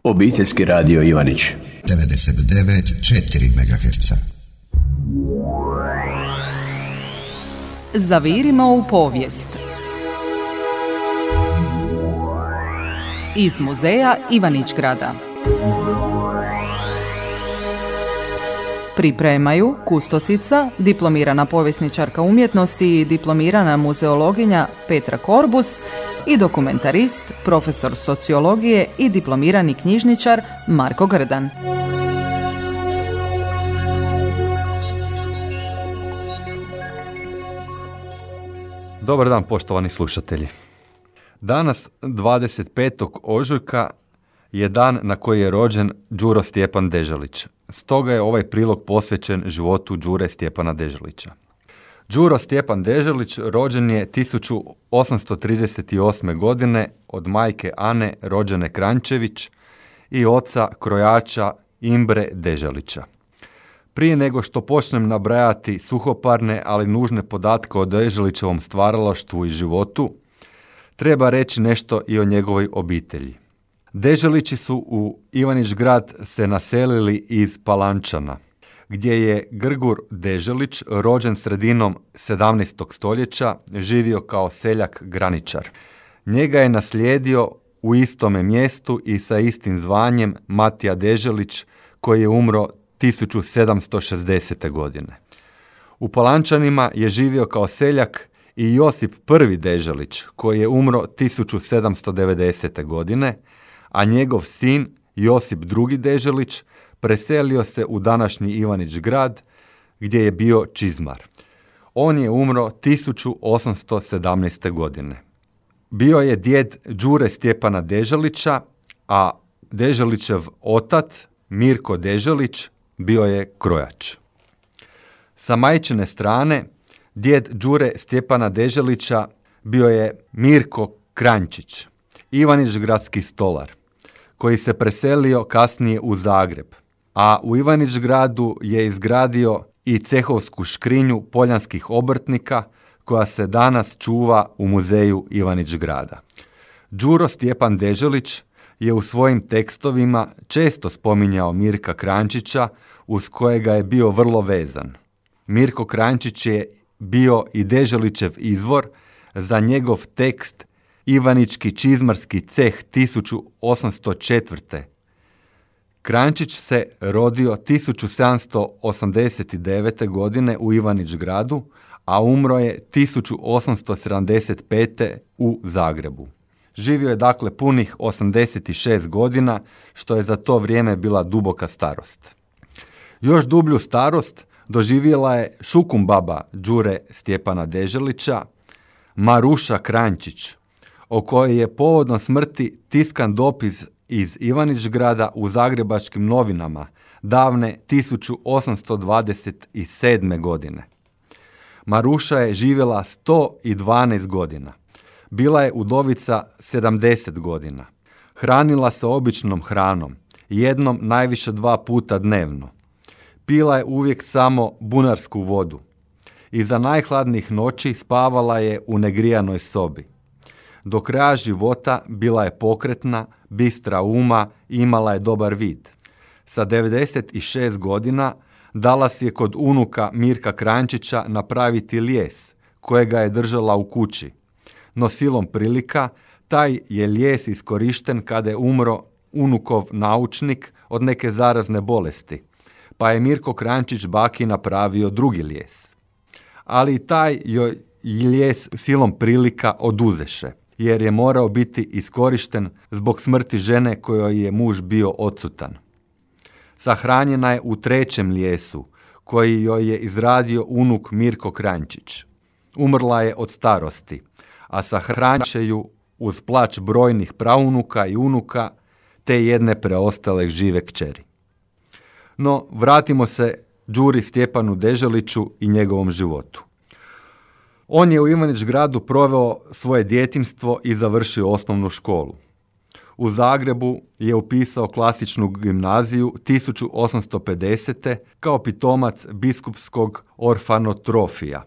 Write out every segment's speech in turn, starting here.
Obiteljski radio Ivanić 99,4 MHz. Zavirimo u povijest. Iz muzeja Ivanić-Grada. Pripremaju kustosica, diplomirana povjesničarka umjetnosti i diplomirana muzeologinja Petra Korbus i dokumentarist, profesor sociologije i diplomirani knjižničar Marko Grdan. Dobar dan, poštovani slušatelji. Danas, 25. ožujka, je dan na koji je rođen Đuro Stjepan Deželić. Stoga je ovaj prilog posvećen životu Đure Stjepana Deželića. Đuro Stjepan Deželić rođen je 1838. godine od majke Ane rođene Kranjčević i oca krojača Imbre Deželića. Prije nego što počnem nabrajati suhoparne, ali nužne podatke o Deželićevom stvaralaštvu i životu, treba reći nešto i o njegovoj obitelji. Deželići su u Ivanić-Grad se naselili iz Palančana, gdje je Grgur Deželić, rođen sredinom 17. stoljeća, živio kao seljak graničar. Njega je naslijedio u istome mjestu i sa istim zvanjem Matija Deželić, koji je umro 1760. godine. U Palančanima je živio kao seljak i Josip I. Deželić, koji je umro 1790. godine, a njegov sin Josip II. Deželić preselio se u današnji Ivanić-Grad, gdje je bio čizmar. On je umro 1817. godine. Bio je djed Đure Stjepana Deželića, a Deželićev otac Mirko Deželić bio je krojač. Sa majčine strane, djed Đure Stjepana Deželića bio je Mirko Kranjčić, Ivanić-Gradski stolar, koji se preselio kasnije u Zagreb, a u Ivanić-Gradu je izgradio i cehovsku škrinju poljanskih obrtnika, koja se danas čuva u muzeju Ivanić-Grada. Đuro Stjepan Deželić je u svojim tekstovima često spominjao Mirka Kranjčića, uz kojega je bio vrlo vezan. Mirko Kranjčić je bio i Deželićev izvor za njegov tekst Ivanički čizmarski ceh 1804. Kranjčić se rodio 1789. godine u Ivanić-Gradu, a umro je 1875. u Zagrebu. Živio je dakle punih 86 godina, što je za to vrijeme bila duboka starost. Još dublju starost doživjela je šukumbaba Đure Stjepana Deželića, Maruša Kranjčić, o kojoj je povodom smrti tiskan dopis iz Ivanić-Grada u Zagrebačkim novinama davne 1827. godine. Maruša je živjela 112 godina. Bila je udovica 70 godina. Hranila se običnom hranom, jednom najviše 2 puta dnevno. Pila je uvijek samo bunarsku vodu. Iza najhladnijih noći spavala je u negrijanoj sobi. Do kraja života bila je pokretna, bistra uma i imala je dobar vid. Sa 96 godina dala si je kod unuka Mirka Kranjčića napraviti lijes, kojega je držala u kući. No silom prilika, taj je lijes iskorišten kada je umro unukov naučnik od neke zarazne bolesti, pa je Mirko Kranjčić baki napravio drugi lijes. Ali i taj joj lijes silom prilika oduzeše, jer je morao biti iskorišten zbog smrti žene kojoj je muž bio odsutan. Sahranjena je u 3. lijesu, koji joj je izradio unuk Mirko Kranjčić. Umrla je od starosti, a sahranit će ju uz plač brojnih praunuka i unuka, te jedne preostale žive kćeri. No, vratimo se Đuri Stjepanu Deželiću i njegovom životu. On je u Ivanić-Gradu proveo svoje djetinjstvo i završio osnovnu školu. U Zagrebu je upisao klasičnu gimnaziju 1850. kao pitomac biskupskog orfanotrofija.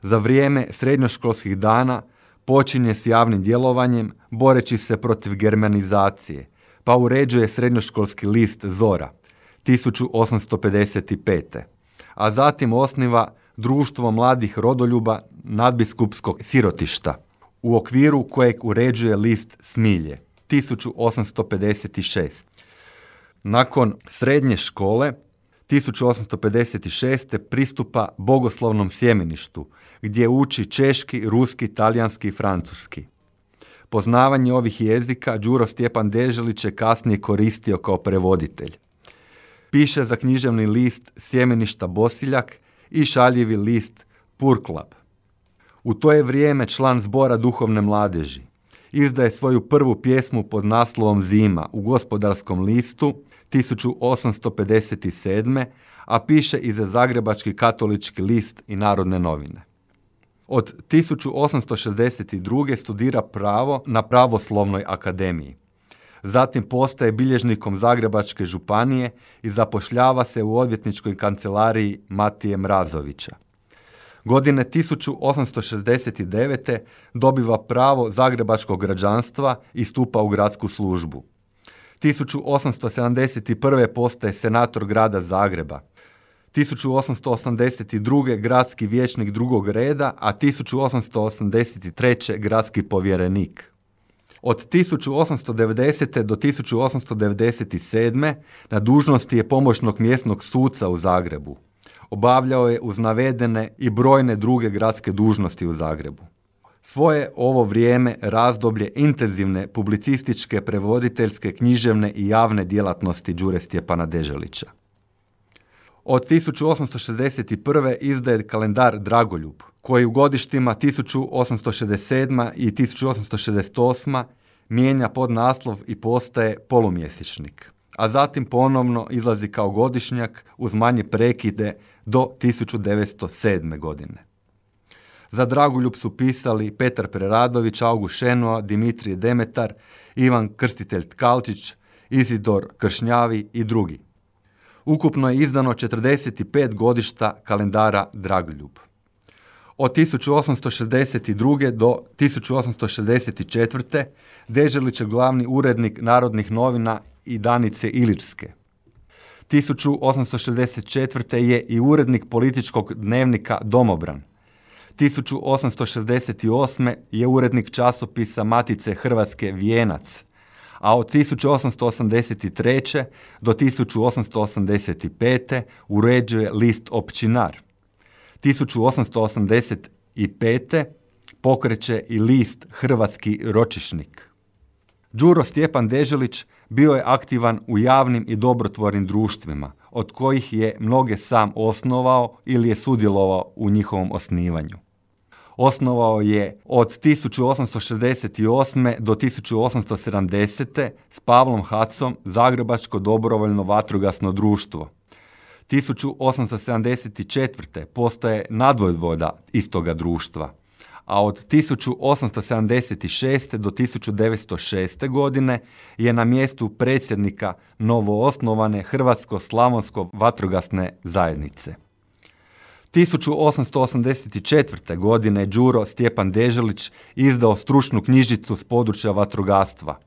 Za vrijeme srednjoškolskih dana počinje s javnim djelovanjem boreći se protiv germanizacije, pa uređuje srednjoškolski list Zora 1855. A zatim osniva Društvo mladih rodoljuba nadbiskupskog sirotišta, u okviru kojeg uređuje list Smilje 1856. Nakon srednje škole 1856. pristupa bogoslovnom sjemeništu, gdje uči češki, ruski, talijanski i francuski. Poznavanje ovih jezika Đuro Stjepan Deželić je kasnije koristio kao prevoditelj. Piše za književni list Sjemeništa Bosiljak i šaljivi list Purklab. U to je vrijeme član Zbora duhovne mladeži. Izdaje svoju prvu pjesmu pod naslovom Zima u Gospodarskom listu 1857. a piše i za Zagrebački katolički list i Narodne novine. Od 1862. studira pravo na Pravoslovnoj akademiji. Zatim postaje bilježnikom Zagrebačke županije i zapošljava se u odvjetničkoj kancelariji Matije Mrazovića. Godine 1869. dobiva pravo zagrebačkog građanstva i stupa u gradsku službu. 1871. postaje senator grada Zagreba. 1882. gradski vijećnik drugog reda, a 1883. gradski povjerenik. Od 1890. do 1897. na dužnosti je pomoćnog mjesnog suca u Zagrebu. Obavljao je uz navedene i brojne druge gradske dužnosti u Zagrebu. Svoje ovo vrijeme razdoblje intenzivne publicističke, prevoditeljske, književne i javne djelatnosti Đure Stjepana Deželića. Od 1861. izdaje kalendar Dragoljub, koji u godištima 1867. i 1868. mijenja podnaslov i postaje polumjesečnik, a zatim ponovno izlazi kao godišnjak uz manje prekide do 1907. godine. Za Dragoljub su pisali Petar Preradović, August Šenoa, Dimitrije Demetar, Ivan Krstitelj Tkalčić, Izidor Kršnjavi i drugi. Ukupno je izdano 45 godišta kalendara Dragoljub. Od 1862. do 1864. Deželić je glavni urednik Narodnih novina i Danice Ilirske. 1864. je i urednik političkog dnevnika Domobran. 1868. je urednik časopisa Matice Hrvatske Vijenac, a od 1883. do 1885. uređuje list Općinar. 1885. pokreće i list Hrvatski ročišnik. Đuro Stjepan Deželić bio je aktivan u javnim i dobrotvornim društvima, od kojih je mnoge sam osnovao ili je sudjelovao u njihovom osnivanju. Osnovao je od 1868. do 1870. s Pavlom Hacom Zagrebačko dobrovoljno vatrogasno društvo. 1874. postaje nadvojvoda istoga društva, a od 1876. do 1906. godine je na mjestu predsjednika novoosnovane Hrvatsko-slavonsko vatrogasne zajednice. 1884. godine Đuro Stjepan Deželić izdao stručnu knjižicu s područja vatrogastva,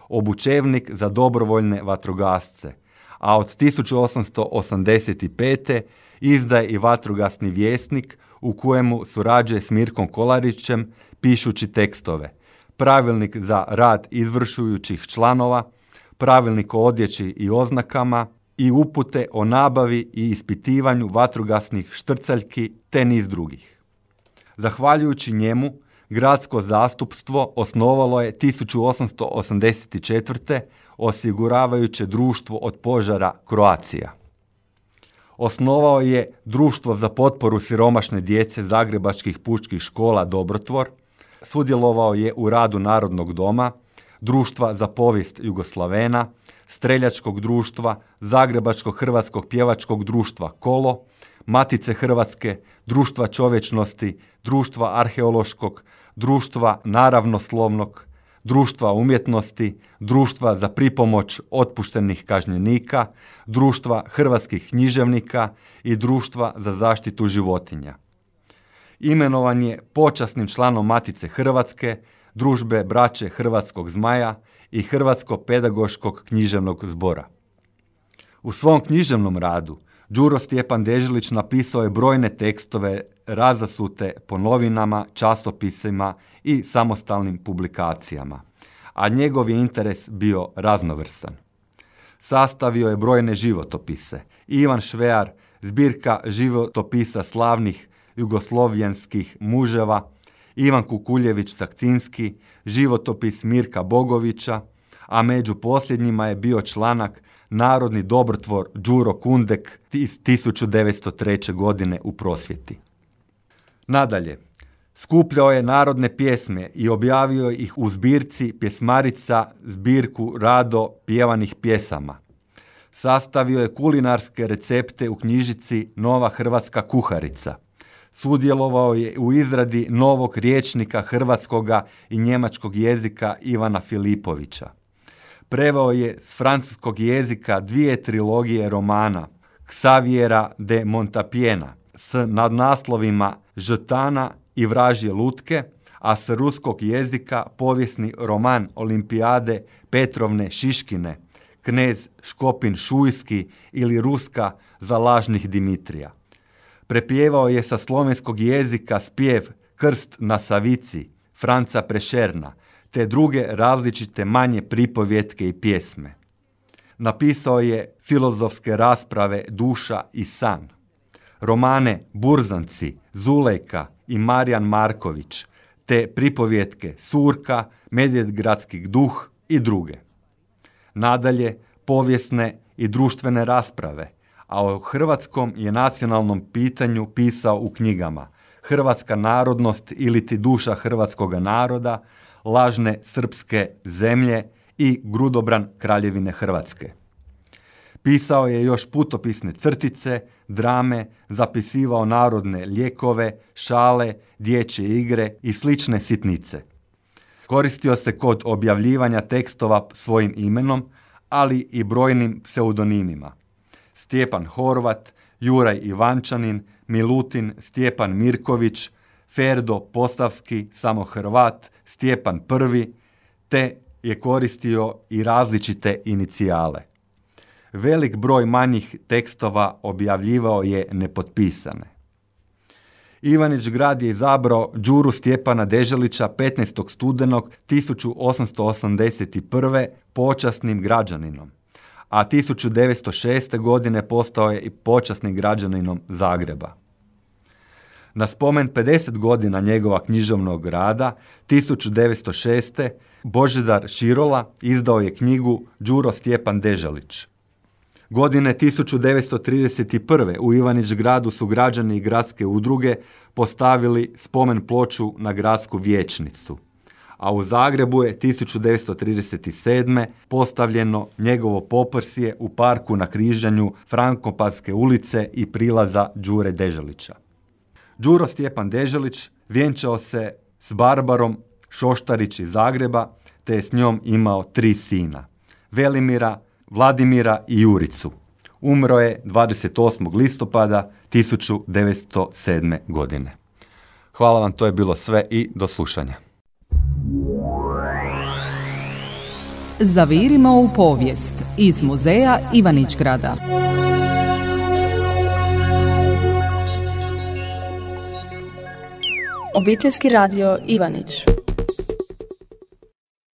Obučevnik za dobrovoljne vatrogasce, a od 1885. izdaje i Vatrogasni vjesnik u kojemu surađuje s Mirkom Kolarićem pišući tekstove, Pravilnik za rad izvršujućih članova, Pravilnik o odjeći i oznakama i upute o nabavi i ispitivanju vatrogasnih štrcaljki te niz drugih. Zahvaljujući njemu, gradsko zastupstvo osnovalo je 1884. osiguravajuće društvo od požara Croatia. Osnovao je Društvo za potporu siromašne djece zagrebačkih pučkih škola Dobrotvor, sudjelovao je u radu Narodnog doma, Društva za povijest Jugoslavena, Streljačkog društva, Zagrebačkog hrvatskog pjevačkog društva Kolo, Matice Hrvatske, Društva čovječnosti, Društva arheološkog, Društva naravnoslovnog, Društva umjetnosti, Društva za pripomoć otpuštenih kažnjenika, Društva hrvatskih književnika i Društva za zaštitu životinja. Imenovan je počasnim članom Matice Hrvatske, Družbe braće Hrvatskog zmaja i Hrvatsko-pedagoškog književnog zbora. U svom književnom radu Đuro Stjepan Deželić napisao je brojne tekstove razasute po novinama, časopisima i samostalnim publikacijama, a njegov je interes bio raznovrstan. Sastavio je brojne životopise. Ivan Švear, zbirka životopisa slavnih jugoslovenskih muževa, Ivan Kukuljević-Sakcinski, životopis Mirka Bogovića, a među posljednjima je bio članak Narodni dobrotvor Đuro Kundek iz 1903. godine u Prosvjeti. Nadalje, skupljao je narodne pjesme i objavio ih u zbirci Pjesmarica, zbirku rado pjevanih pjesama. Sastavio je kulinarske recepte u knjižici Nova hrvatska kuharica. Sudjelovao je u izradi novog rječnika hrvatskoga i njemačkog jezika Ivana Filipovića. Preveo je s francuskog jezika 2 trilogije romana Xaviera de Montapiena s nadnaslovima Žetana i Vražje lutke, a s ruskog jezika povijesni roman Olimpijade Petrovne Šiškine, Knez Škopin Šujski ili Ruska za lažnih Dimitrija. Prepjevao je sa slovenskog jezika spjev Krst na Savici Franca Prešerna, te druge različite manje pripovjetke i pjesme. Napisao je filozofske rasprave Duša i san, romane Burzanci, Zulejka i Marijan Marković, te pripovjetke Surka, Medvedgradski duh i druge. Nadalje, povijesne i društvene rasprave, a o hrvatskom je nacionalnom pitanju pisao u knjigama Hrvatska narodnost ili ti duša hrvatskoga naroda, Lažne srpske zemlje i Grudobran Kraljevine Hrvatske. Pisao je još putopisne crtice, drame, zapisivao narodne lijekove, šale, dječje igre i slične sitnice. Koristio se kod objavljivanja tekstova svojim imenom, ali i brojnim pseudonimima. Stjepan Horvat, Juraj Ivančanin, Milutin, Stjepan Mirković, Ferdo Postavski, samo Hrvat, Stjepan I, te je koristio i različite inicijale. Velik broj manjih tekstova objavljivao je nepotpisane. Ivanić Grad je izabrao Đuru Stjepana Deželića 15. studenog 1881. počasnim građaninom, a 1906. godine postao je i počasnim građaninom Zagreba. Na spomen 50 godina njegova književnog rada, 1906. Božidar Širola izdao je knjigu Đuro Stjepan Deželić. Godine 1931. u Ivanić Gradu su građani i gradske udruge postavili spomen ploču na gradsku vijećnicu, a u Zagrebu je 1937. postavljeno njegovo poprsje u parku na križanju Frankopanske ulice i prilaza Đure Deželića. Đuro Stjepan Deželić vjenčao se s Barbarom Šoštarić iz Zagreba, te je s njom imao 3 sina, Velimira, Vladimira i Juricu. Umro je 28. listopada 1907. godine. Hvala vam, to je bilo sve i do slušanja. Zavirimo u povijest iz muzeja Ivanić Grada. Obiteljski radio Ivanić.